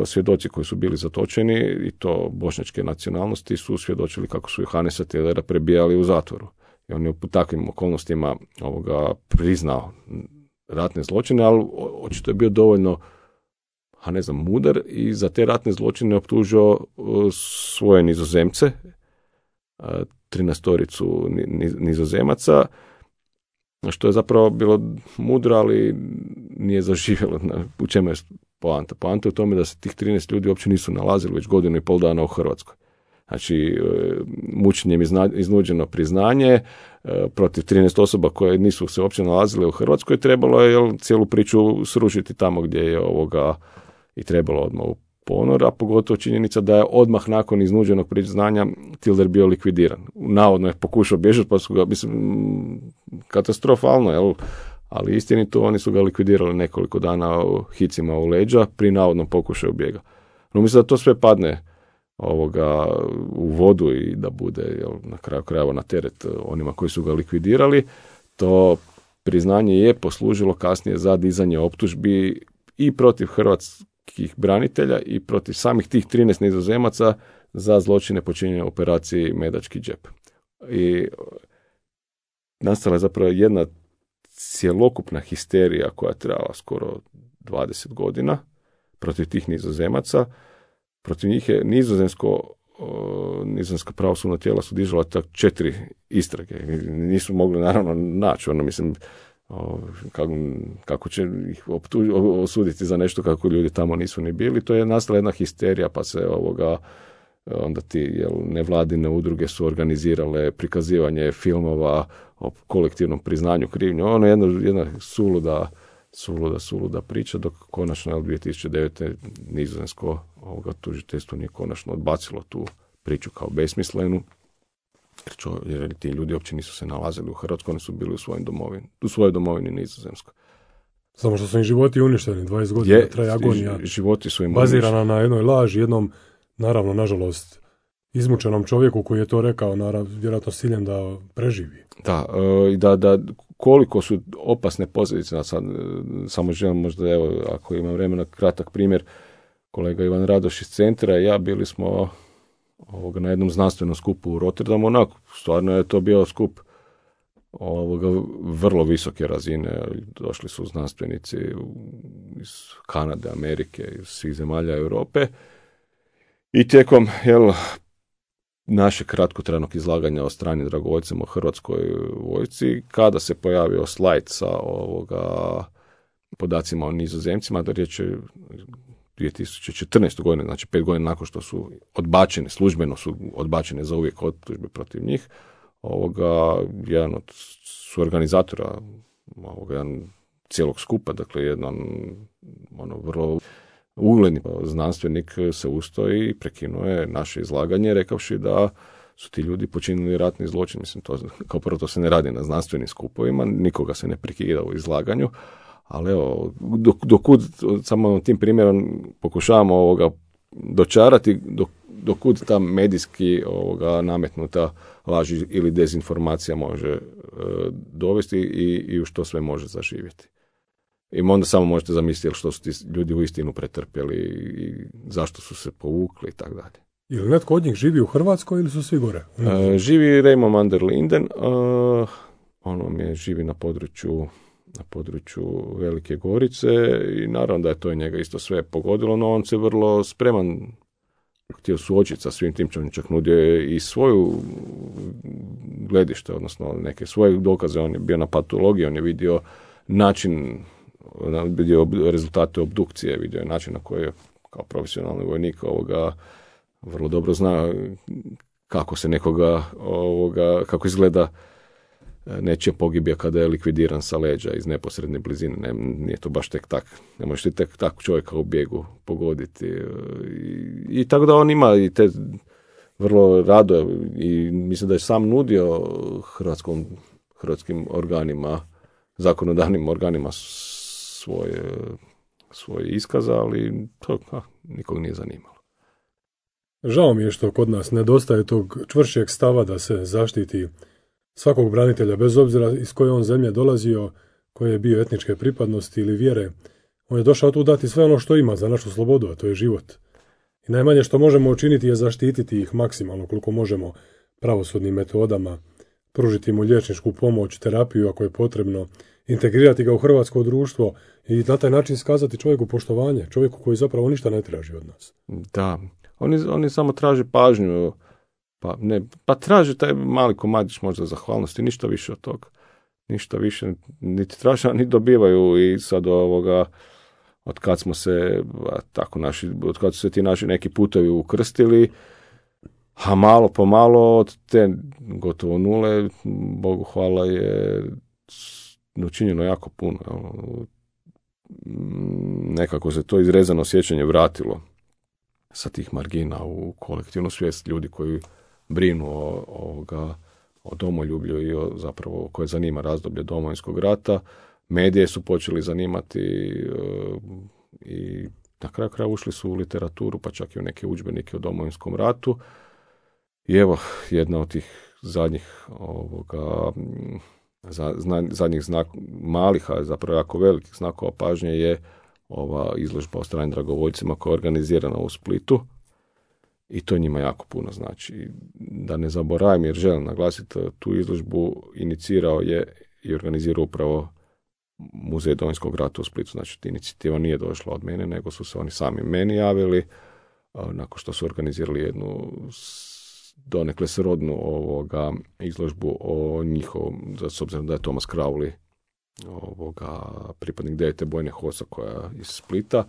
Svjedoci koji su bili zatočeni, i to bošnjačke nacionalnosti, su svjedočili kako su Johannesa Tildera prebijali u zatvoru. I on je u takvim okolnostima ovoga priznao ratne zločine, ali očito je bio dovoljno, a ne znam, mudar i za te ratne zločine optužio svoje Nizozemce, trinaestoricu Nizozemaca, što je zapravo bilo mudro, ali nije zaživjelo. U čemu je poanta? Poanta je u tome da se tih trinaest ljudi uopće nisu nalazili već godinu i pol dana u Hrvatskoj. Znači, mučenjem iznuđeno priznanje protiv trinaest osoba koje nisu se uopće nalazile u Hrvatskoj, trebalo je jel, cijelu priču srušiti tamo gdje je ovoga i trebalo odmah u ponor, a pogotovo činjenica da je odmah nakon iznuđenog priznanja Tilder bio likvidiran. Navodno je pokušao bježati, pa su ga, mislim, katastrofalno, jel? Ali istinito, oni su ga likvidirali nekoliko dana u hicima u leđa pri navodnom pokušaju bijega. No mislim da to sve padne ovoga u vodu i da bude jel, na kraju krajeva na teret onima koji su ga likvidirali. To priznanje je poslužilo kasnije za dizanje optužbi i protiv hrvatskih branitelja i protiv samih tih trinaest Nizozemaca za zločine počinjene u operaciji Medački džep. I nastala je zapravo jedna cjelokupna histerija koja je trajala skoro dvadeset godina protiv tih Nizozemaca. Protiv njih je nizozemsko o, nizozemska pravosudna tijela su dižala tak četiri istrage. Nisu mogli naravno naći, ono mislim, o, kako, kako će ih optuž, osuditi za nešto kako ljudi tamo nisu ni bili. To je nastala jedna histerija, pa se ovoga onda ti jel, nevladine udruge su organizirale prikazivanje filmova o kolektivnom priznanju krivnje. Ono je jedna, jedna suluda, suluda, suluda priča, dok konačno jel, dvije tisuće devete nizozemsko ovoga tužiteljstvo nije konačno odbacilo tu priču kao besmislenu, jer, čo, jer ti ljudi uopće nisu se nalazili u Hrvatskoj, oni su bili u svojoj domovini, u svojoj domovini Nizozemskoj. Samo što su im životi uništeni, dvadeset godina je, traje agonija, životi su im bazirana uništeni na jednoj laži, jednom, naravno, nažalost, izmučenom čovjeku koji je to rekao, naravno, vjerojatno s ciljem da preživi. Da, i da, da koliko su opasne posljedice, sad, samo želim možda, evo, ako imam vremena, kratak primjer, kolega Ivan Radoš iz centra i ja bili smo ovoga, na jednom znanstvenom skupu u Rotterdamu, onako, stvarno je to bio skup ovoga, vrlo visoke razine, došli su znanstvenici iz Kanade, Amerike, iz svih zemalja Europe i tijekom, jel, naše kratkotrajnog izlaganja o stranim dragovoljcima u Hrvatskoj vojsci, kada se pojavio slajd sa ovoga podacima o Nizozemcima, da riječ je dvije tisuće četrnaeste. godine, znači pet godina nakon što su odbačene, službeno su odbačene za uvijek optužbe protiv njih, ovoga, jedan od suorganizatora ovoga, jedan cijelog skupa, dakle jedan ono, vrlo ugledni znanstvenik se ustao i prekinuo je naše izlaganje rekavši da su ti ljudi počinili ratni zločin. Mislim, to, kao prvo to se ne radi na znanstvenim skupovima, nikoga se ne prekida u izlaganju, ali evo, dok, dokud, samo tim primjerom pokušavamo ovoga dočarati, dok, dokud ta medijski ovoga nametnuta laž ili dezinformacija može e, dovesti i, i u što sve može zaživjeti. I onda samo možete zamisliti što su ti ljudi uistinu pretrpjeli i zašto su se povukli i tako dalje. Ili netko od njih živi u Hrvatskoj ili su svi gore? E, živi Raymond van der Linden, e, ono mi je živi na području na području Velike Gorice i naravno da je to njega isto sve pogodilo, no on se vrlo spreman htio suočiti sa svim tim, on čak nudio je i svoju gledište, odnosno neke svoje dokaze, on je bio na patologiji, on je vidio način, vidio rezultate obdukcije, vidio je način na koji je kao profesionalni vojnik ovoga vrlo dobro zna kako se nekoga ovoga, kako izgleda nečija pogibija kada je likvidiran sa leđa iz neposredne blizine. Ne, nije to baš tek tak. Ne možeš ti tek tak čovjeka u bijegu pogoditi. I, i tako da on ima i te vrlo rado i mislim da je sam nudio hrvatskom, hrvatskim organima, zakonodavnim organima svoje, svoje iskaza, ali to a, nikog nije zanimalo. Žao mi je što kod nas nedostaje tog čvršćeg stava da se zaštiti svakog branitelja, bez obzira iz koje on zemlje dolazio, koje je bio etničke pripadnosti ili vjere. On je došao tu dati sve ono što ima za našu slobodu, a to je život. I najmanje što možemo učiniti je zaštititi ih maksimalno koliko možemo pravosudnim metodama, pružiti mu liječničku pomoć, terapiju ako je potrebno, integrirati ga u hrvatsko društvo i na taj način skazati čovjeku poštovanje, čovjeku koji zapravo ništa ne traži od nas. Da, oni, oni samo traže pažnju. Pa, ne, pa traži taj mali komadić možda zahvalnosti, ništa više od toga. Ništa više, niti traže, niti dobivaju i sad ovoga, od kad smo se, tako naši, od kad su se ti naši neki putovi ukrstili, a malo po malo od te gotovo nule, Bogu hvala, je učinjeno jako puno. Nekako se to izrezano sjećanje vratilo sa tih margina u kolektivnu svijest ljudi koji brinu o, o, o domoljublju i o, zapravo koje zanima razdoblje Domovinskog rata. Medije su počeli zanimati e, i na kraju kraja ušli su u literaturu, pa čak i u neke udžbenike o Domovinskom ratu. I evo, jedna od tih zadnjih ovoga, za, zna, zadnjih znak, malih, a zapravo jako velikih znakova pažnje je ova izložba o stranim dragovoljcima koja je organizirana u Splitu. I to njima jako puno znači. Da ne zaboravim, jer želim naglasiti, tu izložbu inicirao je i organizirao upravo Muzej Domovinskog rata u Splitu. Znači, inicijativa nije došla od mene, nego su se oni sami meni javili. nakon što su organizirali jednu donekle srodnu ovoga izložbu o njihovom, s obzirom da je Thomas Crowley ovoga pripadnik devete bojne hosa koja iz Splita,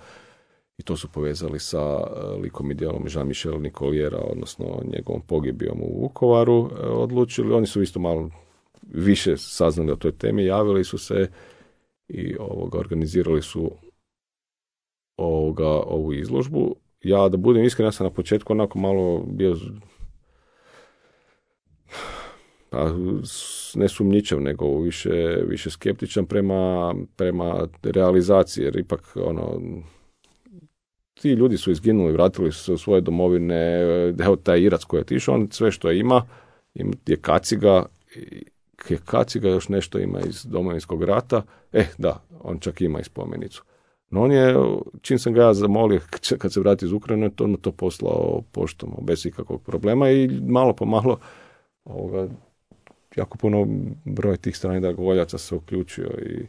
i to su povezali sa likom i djelom Jean-Michel Nicoliera, odnosno njegovom pogibijom u Vukovaru, odlučili. Oni su isto malo više saznali o toj temi, javili su se i ovoga, organizirali su ovoga, ovu izložbu. Ja, da budem iskren, ja sam na početku onako malo bio pa, ne sumnjičav, nego više, više skeptičan prema, prema realizaciji, jer ipak ono, ti ljudi su izginuli, vratili su se u svoje domovine, evo taj Irac koji je otišao, on sve što ima, je kaciga, je kaciga, još nešto ima iz Domovinskog rata, eh da, on čak ima i spomenicu. No on je, čim sam ga ja zamolio, kad se vrati iz Ukrajine, on mu to poslao poštom, bez ikakvog problema, i malo po malo ovoga, jako puno broj tih stranih dragovoljaca se uključio i,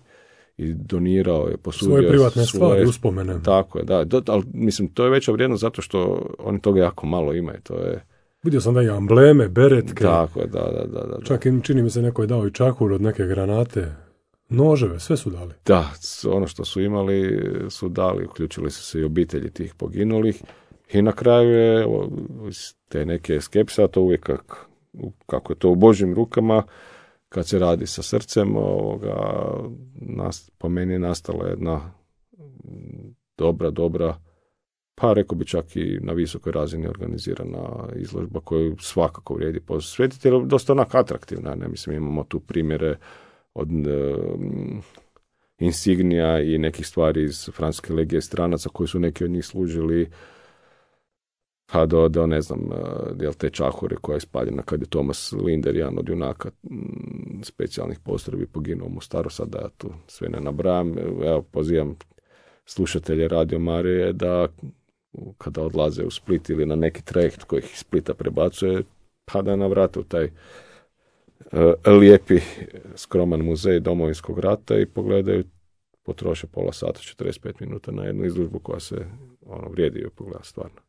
i donirao je, posudio svoje privatne svoje, stvari, uspomene. Tako je, da. Do, ali, mislim, to je veća vrijednost zato što oni toga jako malo imaju. To je... Vidio sam da je ambleme, beretke. Tako je, da, da, da. da. Čak im, čini mi se, neko je dao i čahur od neke granate. Noževe, sve su dali. Da, ono što su imali su dali, uključili su se i obitelji tih poginulih. I na kraju je te neke skepse, a to uvijek kako, kako je to u Božjim rukama, kad se radi sa srcem, ovoga, nas, po meni je nastala jedna dobra, dobra, pa rekao bi čak i na visokoj razini organizirana izložba koju svakako vrijedi posvetiti, jer je dosta onak atraktivna. Ne? Mislim, imamo tu primjere od um, insignija i nekih stvari iz Francuske legije stranaca koji su neki od njih služili, pa do, do ne znam, jel te čahure koja je spaljena kad je Thomas Linder, jedan od junaka m, specijalnih postrojbi, poginuo u Mostaru, sad da ja tu sve ne nabrajam. Evo, pozivam slušatelje Radio Marije da kada odlaze u Split ili na neki trajekt koji ih iz Splita prebacuje, pa da navrate u taj uh, lijepi, skroman muzej Domovinskog rata i pogledaju, potroše pola sata, četrdeset pet minuta na jednu izložbu koja se ono, vrijedi joj pogleda stvarno.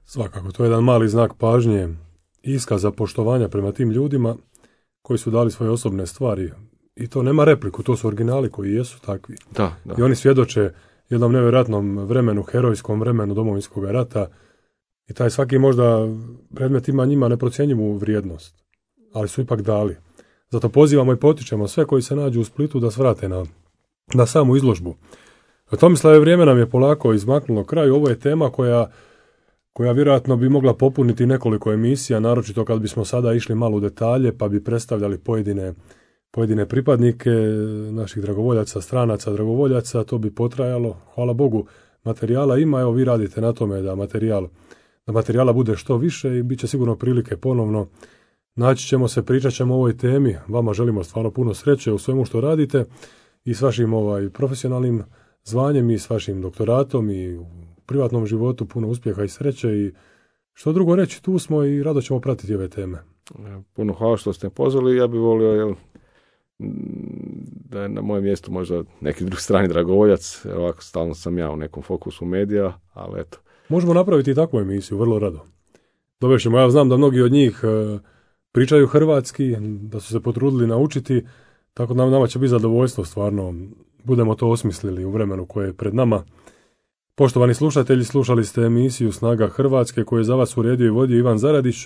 Svakako, to je jedan mali znak pažnje i iskaza poštovanja prema tim ljudima koji su dali svoje osobne stvari. I to nema repliku, to su originali koji jesu takvi. Da, da. I oni svjedoče jednom nevjerojatnom vremenu, herojskom vremenu Domovinskog rata. I taj svaki možda predmet ima njima neprocjenjivu vrijednost, ali su ipak dali. Zato pozivamo i potičemo sve koji se nađu u Splitu da svrate na, na samu izložbu. Tomislave, vrijeme nam je polako izmaknulo kraju. Ovo je tema koja koja vjerojatno bi mogla popuniti nekoliko emisija, naročito kad bismo sada išli malo u detalje, pa bi predstavljali pojedine, pojedine pripadnike naših dragovoljaca, stranaca, dragovoljaca, to bi potrajalo. Hvala Bogu, materijala ima, evo vi radite na tome da materijal, da materijala bude što više i bit će sigurno prilike ponovno. Naći ćemo se, pričat ćemo o ovoj temi, vama želimo stvarno puno sreće u svemu što radite i s vašim ovaj, profesionalnim zvanjem i s vašim doktoratom i u privatnom životu puno uspjeha i sreće i što drugo reći, tu smo i rado ćemo pratiti ove teme. Puno hvala što ste pozvali, ja bih volio jel, da je na mojem mjestu možda neki drugi strani dragovoljac, ovako stalno sam ja u nekom fokusu medija, ali eto. Možemo napraviti i takvu emisiju, vrlo rado. Dovešćemo, ja znam da mnogi od njih e, pričaju hrvatski, da su se potrudili naučiti, tako da nama će biti zadovoljstvo stvarno, budemo to osmislili u vremenu koje je pred nama. Poštovani slušatelji, slušali ste emisiju Snaga Hrvatske koju je za vas uredio i vodio Ivan Zaradić.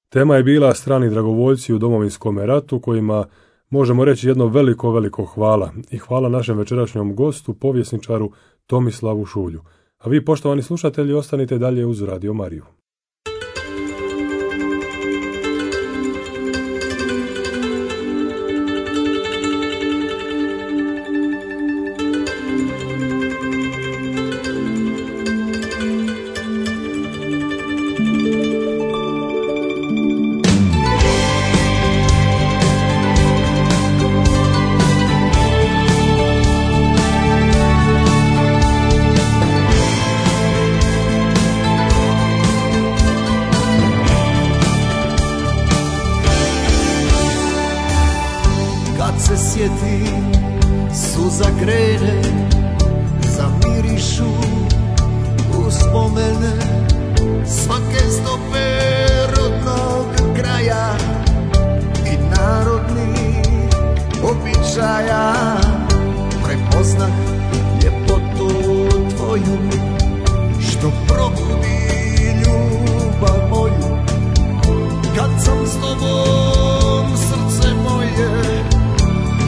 Tema je bila strani dragovoljci u Domovinskom ratu kojima možemo reći jedno veliko, veliko hvala. I hvala našem večerašnjom gostu, povjesničaru Tomislavu Šulju. A vi, poštovani slušatelji, ostanite dalje uz Radio Mariju. Zamirišu uspomene svake stope rodnog kraja i narodnih običaja. Prepoznah ljepotu tvoju, što probudi ljubav moju. Kad sam s tobom, srce moje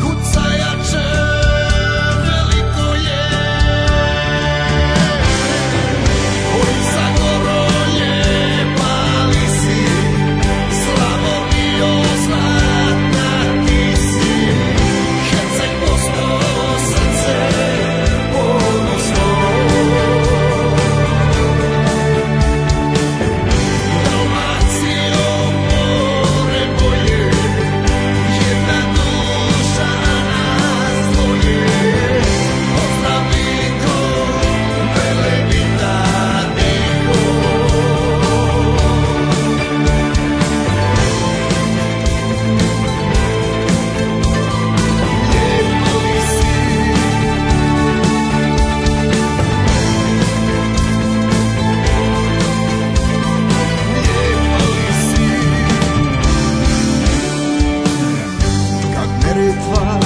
kuca jače, veliko je. Oj, Zagorolje, mali si, Slavonijo, zlatna ti si. Herceg Bosno, srce ponosno. Dalmacijo, more moje, jedna duša nas dvoje. Pozdrav Niko, Velebita Niko. Lijepo li si, lijepo li si. Kad Neretva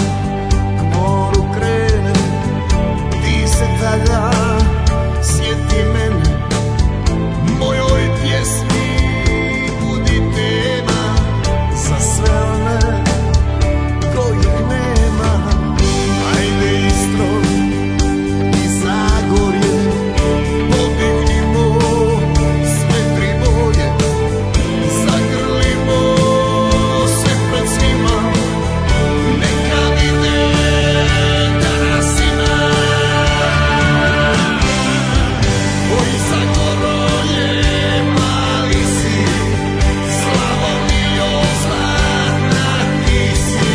k moru krene, ti se tada sjeti mene. Mojoj pjesmi budi tema za sve one kojih nema. Ajde Istro i Zagorje, podignimo sve tri boje. Zagrlimo se pred svima, neka vide da nas ima. Oj, Zagorolje, mali si, Slavonijo, zlatna ti si.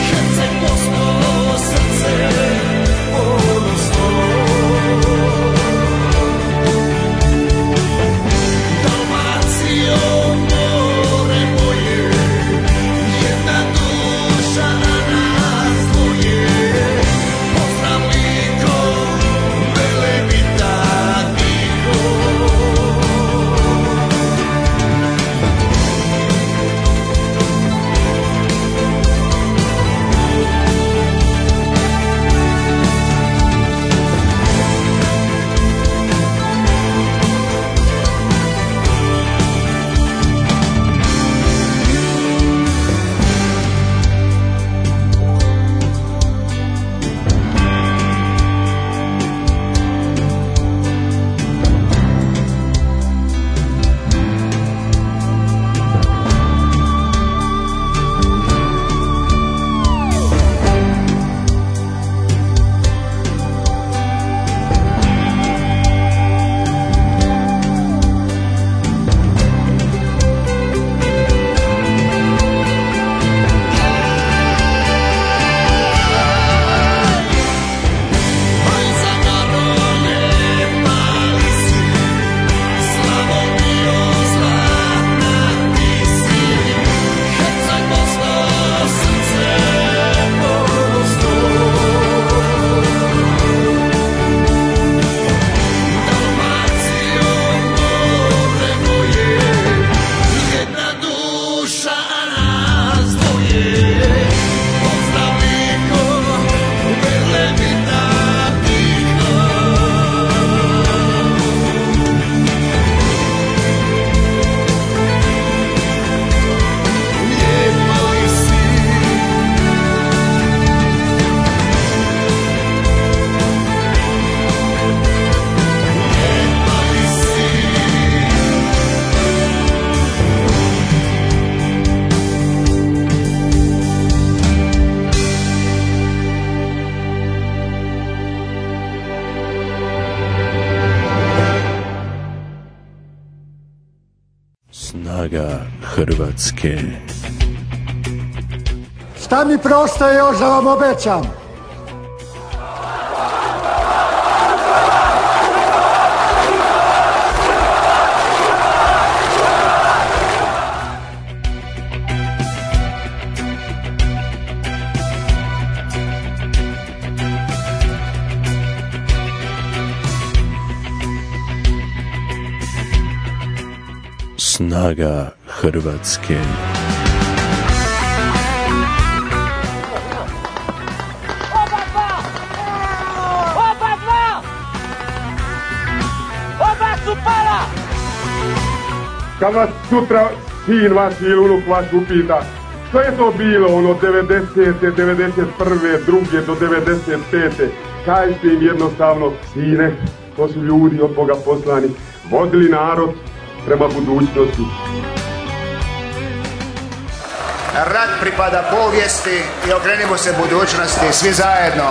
Herceg Bosno, srce ponosno. Dalmacijo, more moje, jedna duša nas dvoje. Pozdrav Niko, Velebita Niko. Oj, Zagorolje, mali si, Slavonijo, zlatna ti si. Herceg Bosno, srce ponosno. Dalmacijo, more moje, jedna duša nas dvoje. Pozdrav Niko, Velebita Niko. Lijepo li si, lijepo li si. Snaga Hrvatske. Šta mi preostaje još da vam obećam? Snaga Hrvatske. Oba dva! Oba dva! Oba su pala! Kad vas sutra sin vaš ili unuk vaš upita što je to bilo ono devedesete, devedeset prve, druge do devedeset pete, kažite im jednostavno, sine, to su ljudi od Boga poslani, vodili narod prema budućnosti. Rat pripada povijesti i okrenimo se budućnosti svi zajedno.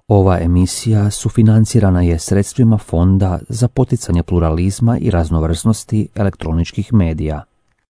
Ova emisija sufinancirana je sredstvima Fonda za poticanje pluralizma i raznovrsnosti elektroničkih medija.